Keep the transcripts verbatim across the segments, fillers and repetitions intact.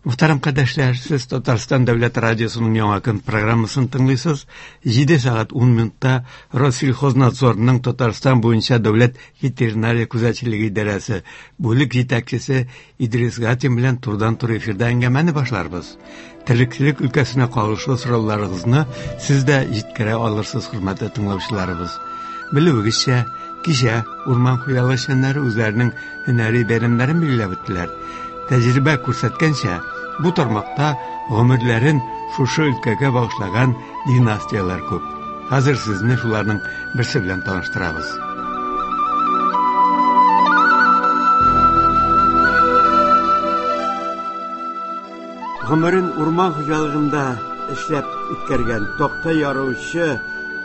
Мөхтәрәм кардәшләр, сез Татарстан Дәүләт радиосының Яңа көн программасын тыңлыйсыз. Җиде сәгать ун минутта Россельхознадзорның Татарстан буенча Дәүләт ветеринария күзәтчелеге идарәсе бүлек җитәкчесе Идрис Гатин белән турыдан-туры эфирда әңгәмәне башларбыз. Терлекчелек өлкәсенә кагылышлы сорауларыгызны сез дә җиткерә алырсыз, хөрмәтле тыңлаучыларыбыз. Белүегезчә, кичә урман хуҗалыгы эшчәннәре үзләренең һөнәри бәйрәмнәрен билгеләп үттеләр. Тәҗрибә күрсәткәнчә, бу тармакта гомерләрен шушы өлкәгә багышлаган династияләр күп. Хәзер сезне шуларның берсе белән таныштырабыз. Гомерен урман хуҗалыгында эшләп үткәргән такта яручы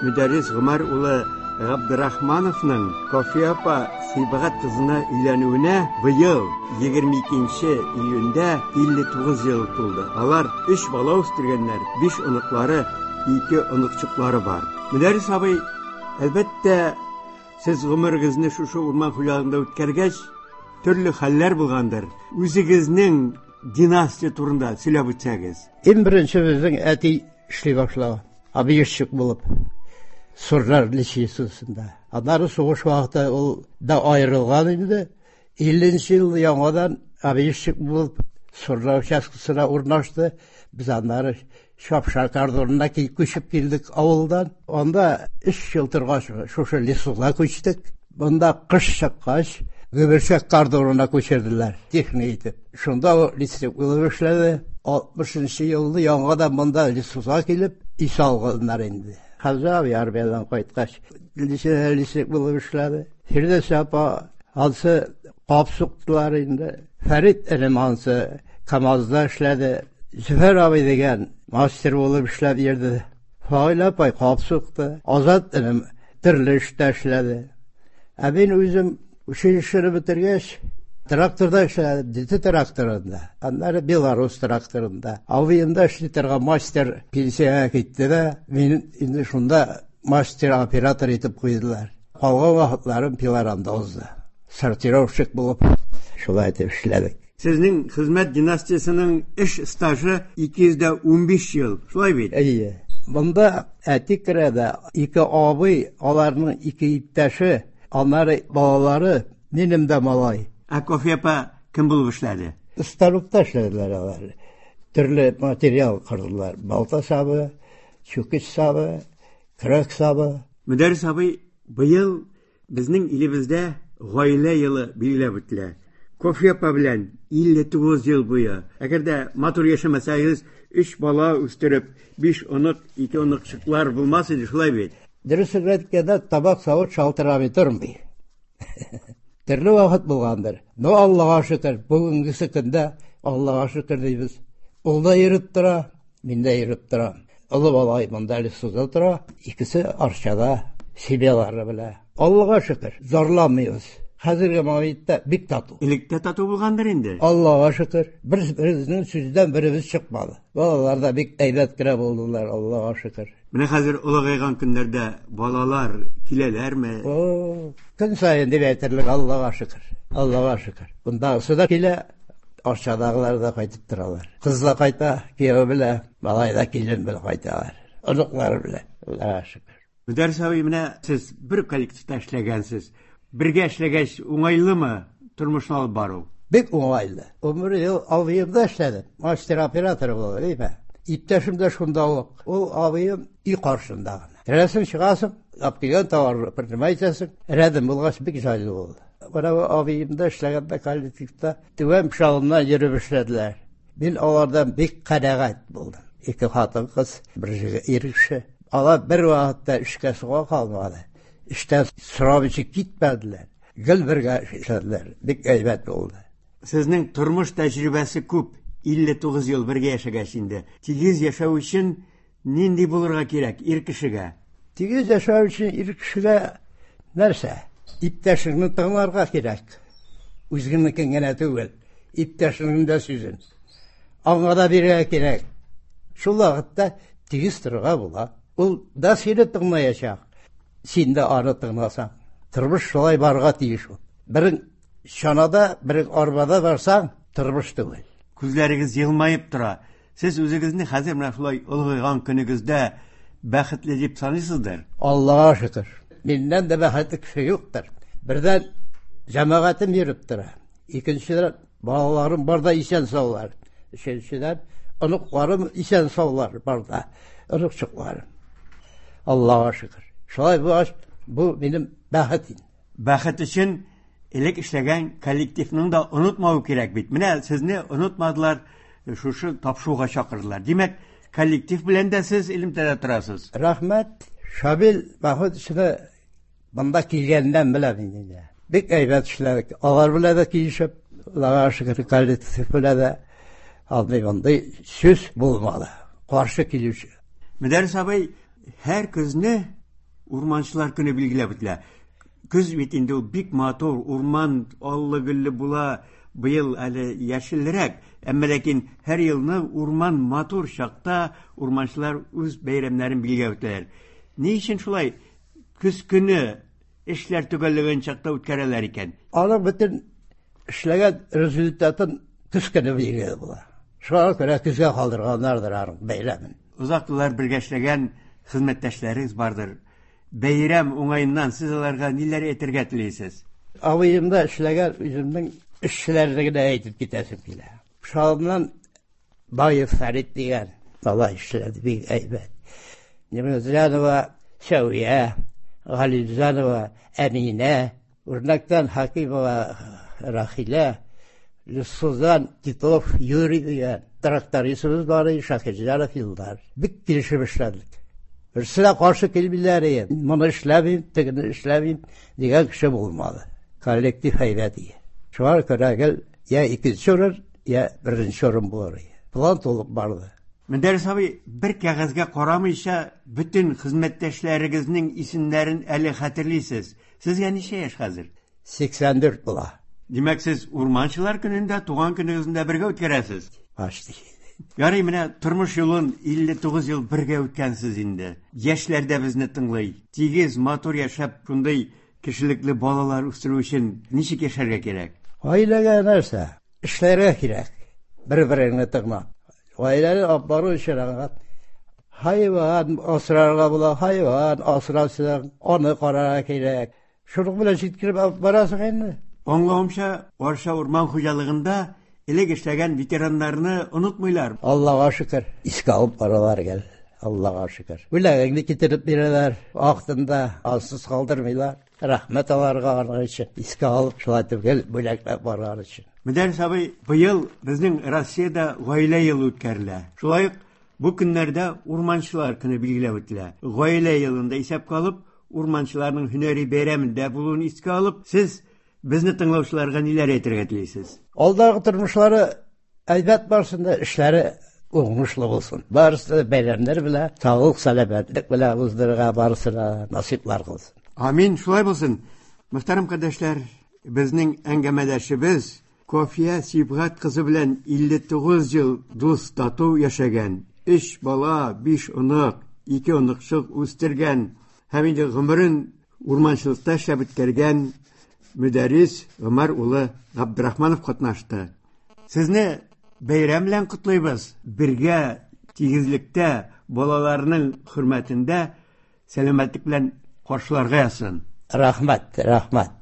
Мөдәррис Гомәр улы Габдрахмановның Кафия апа Сибгат кызына өйләнүенә быел егерме икенче июньдә илле тугыз ел тулды. Алар өч бала үстергәннәр, биш оныклары, ике оныкчыклары бар. Мөдәррис абый, әлбәттә, сез гомерегезне шушы урман хуҗалыгында үткәргәч, төрле хәлләр булгандыр. Үзегезнең династия турында сөйләп үтсәгез. Иң беренче безнең әти эшли башлады, объездчик булып. Сурнар лечебницасында. Аннары сугыш вакыты ул да аерылган инде. Илленче ел яңадан объездчик булып Сурнар участкасына урнашты. Без аннары Чапшар кордонына күчеп килдек авылдан. Анда өч ел торгач шушы лесуга күчтек. Монда кыш чыккач Гөберчәк кордонына күчерделәр, техник итеп. Шунда ул лесник булып эшләде. Алтмышынчы елны яңадан монда лесуга килеп ис алганнар инде. Хәмзә абый армиядән кайткач, лесник булып эшләде. Фирдәүс апа ансы кап суктылар инде. Фәрит энем ансы КАМАЗда эшләде. Зөфәр абый дигән мастер булып эшләп йөрде. Фаил апай кап сукты. Азат энем төрле эштә эшләде. Ә мин үзем училищены бетергәч, тракторда эшләдем, Д Т тракторында, аннары Беларус тракторында. Абыемда эшли торган мастер пенсиягә китте дә, мин инде шунда мастер-оператор итеп куйдылар. Калган вакытларым пилорамда узды. Сортировщик булып шулай итеп эшләдек. Сезнең хезмәт династиясенең эш стажы ике йөз дә унбиш ел, шулай бит? Әйе. Монда әти керә дә, ике абый, аларның ике иптәше, аннары балалары, минем дә малай. Ә Кафия апа кем булып эшләде? Станокта эшләделәр алар. Төрле материал кырдылар. Балта сабы, чүкеч сабы, көрәк сабы. Мөдәррис абый, быел безнең илебездә гаилә елы билгеләп үтелә. Кафия апа белән илле тугыз ел буе. Әгәр дә матур яшәмәсәгез, өч бала үстереп, биш онык, ике оныкчыклар булмас иде, шулай бит? Дөресен әйткәндә, табак савыт шалтырамый тормый. Төрле вакыт булгандыр. Но Аллага шөкер, бүгенгесе көндә Аллага шөкер дибез. Ул да йөреп тора, мин дә йөреп торам. Олы бала монда әле суза тора, икесе Арчада, семьялары белән. Аллага шөкер, зарланмыйбыз. Хәзерге моментта бик тату. Электә тату булгандыр инде. Аллага шөкер, бер-беребезнең сүздән беребез чыкмады. Балалар да бик әйбәт кенә булдылар, Аллага шөкер. Менә хәзер олыгайган көннәрдә балалар киләләрме? О, көн саен дип әйтерлек, Аллага шөкер. Аллага шөкер. Бундагысы да килә, Арчадагылар да кайтып торалар. Кыз да кайта, кияү белән, малай да килен белән кайталар. Оныклары белән. Аллага шөкер. Мөдәррис абый, менә сез бер коллективта эшләгәнсез. Бергә эшләгәч, уңайлымы тормышны алып бару? Бик уңайлы. Ун бер ел абыемда эшләдем. Мастер-оператор булып, әйме? Иптәшем дә шунда ук. Ул абыем өй каршында гына. Керәсең, чыгасың, алып килгән товарны принимать итәсең. Рәдем булгач бик җайлы булды. Менә бу абыемда эшләгәндә коллективта түбән Пшалымнан йөреп эшләделәр. Мин алардан бик канәгать булдым. Ике хатын-кыз, бер ир кеше. Алар бер вакытта эшкә суга калмады. Эштән сорап эчеп китмәделәр. Гел бергә эшләделәр. Бик әйбәт булды. Сезнең тормыш тәҗрибәсе күп. Илле тугыз ел бергә яшәгәч инде. Тигез яшәү өчен нинди булырга кирәк ир кешегә? Тигез яшәү өчен ир кешегә нәрсә? Иптәшеңне тыңларга кирәк. Үзеңнекен генә түгел, иптәшеңнең дә сүзен. Аңа да бирергә кирәк. Шул вакытта тигез торырга була. Ул да сине тыңлаячак. Син дә аны тыңласаң. Тормыш шулай барырга тиеш ул. Берең чанада, берең арбада барсаң, тормыш түгел. Күзләрегез елмаеп тора. Сез үзегезне хәзер менә шулай олыгайган көнегездә бәхетле дип саныйсыздыр? Аллага шөкер. Миннән дә бәхетле кеше юктыр. Бердән җәмәгатем йөреп тора. Икенчедән балаларым бар да исән саулар. Өченчедән оныкларым исән саулар бар да. Оныкчыкларым. Аллага шөкер. Шулай булгач, бу минем бәхет инде. Бәхет өчен элек эшләгән коллективның да онытмау кирәк бит. Менә сезне онытмадылар, шушы тапшыруга чакырдылар. Димәк, коллектив белән дә сез элемтәдә торасыз. Рәхмәт. Шамил Мәхмүтовичны монда килгәннән беләм инде. Бик әйбәт эшләдек. Алар белән дә килешеп, Аллага шөкер, коллектив белән дә андый мондый сүз булмады. Каршы килүче. Мөдәррис абый, һәр көзне урманчылар көне билгеләп үтелә. Көз бит инде ул бик матур, урман аллы-гөлле була, быел әле яшелрәк, әмма ләкин һәр елны урман матур чакта урманчылар үз бәйрәмнәрен билгеләп үтәләр. Ни өчен шулай көз көне эшләр төгәлләгән чакта үткәрәләр икән? Аның бөтен эшләгән результатын көз көне билгеле була. Шуңа күрә көзгә калдырганнардыр аның бәйрәмен. Озак еллар бергә эшләгән хезмәттәшләрегез бардыр. Бәйрәм уңаеннан сез аларга ниләр әйтергә телисез? Абыемда эшләгән үземнең эшчеләрне генә әйтеп китәсем килә. Шалымнан Баев Фәрит дигән бала эшләде, бик әйбәт. Нимәзянова Сәвия, Галимзянова Әминә, Үрнәктән Хакимова Рахилә, Лесоздан Титов Юрий дигән трактористыбыз бар иде, Шакирҗанов Илдар. Бик килешеп эшләдек. Берсе дә каршы килмиләр иде. Моны эшләмим, тегене эшләмим дигән кеше булмады. Коллектив әйбәт иде. Шуңа күрә гел я икенче урын, я беренче урын булыр иде. План тулып барды. Мөдәррис абый, бер кәгазьгә карамыйча бөтен хезмәттәшләрегезнең исемнәрен әле хәтерлисез. Сезгә ничә яшь хәзер? Сиксән дүрт була. Димәк, сез урманчылар көнендә, туган көнегезне дә бергә үткәрәсез? Почти. Ярый, менә тормыш юлын илле тугыз ел бергә үткәнсез инде. Яшьләр дә безне тыңлый. Тигез, матур яшәп, шундый кешелекле балалар үстерү өчен ничек яшәргә кирәк? Гаиләгә нәрсә? Эшләргә кирәк. Бер-береңне тыңлап. Гаиләне алып бару өчен аңа хайван асрарга була, хайван асрасың, аны карарга кирәк. Шуның белән җиткереп алып барасың инде. Аңлавымча, Арча урман хуҗалыгында элек эшләгән ветераннарны онытмыйлар. Аллага шөкер, искә алып баралар гел. Аллага шөкер. Бүләгеңне китереп бирәләр, вакытында ансыз калдырмыйлар. Рәхмәт аларга аның өчен. Искә алып шулай итеп гел бүләкләп барган өчен. Мөдәррис абый, быел безнең Россиядә гаилә елы үткәрелә. Шулай ук бу көннәрдә урманчылар көне билгеләп үтелә. Гаилә елында исәпкә алып, урманчыларның һөнәри бәйрәмендә булуын искә алып, сез безне тыңлаучыларга ниләр әйтергә телисез? Алдагы тормышлары әйбәт барсын да, эшләре уңышлы булсын. Барысы да бәйрәмнәр белән, саулык, сәламәтлек белән уздырырга барысына насыйплар кылсын. Амин, шулай булсын. Мөхтәрәм кардәшләр, безнең әңгәмәдәшебез Кофия Сибгат кызы белән илле тугыз ел дус тату яшәгән, өч бала, биш онык, ике оныкчык үстергән һәм инде гомерен урманчылыкта эшләп үткәргән Мөдәррис Гомәр улы Габдрахманов катнашты. Сезне бәйрәм белән котлыйбыз. Бергә тигезлектә, балаларның хөрмәтендә сәламәтлек белән каршыларга язсын. Рәхмәт, рәхмәт.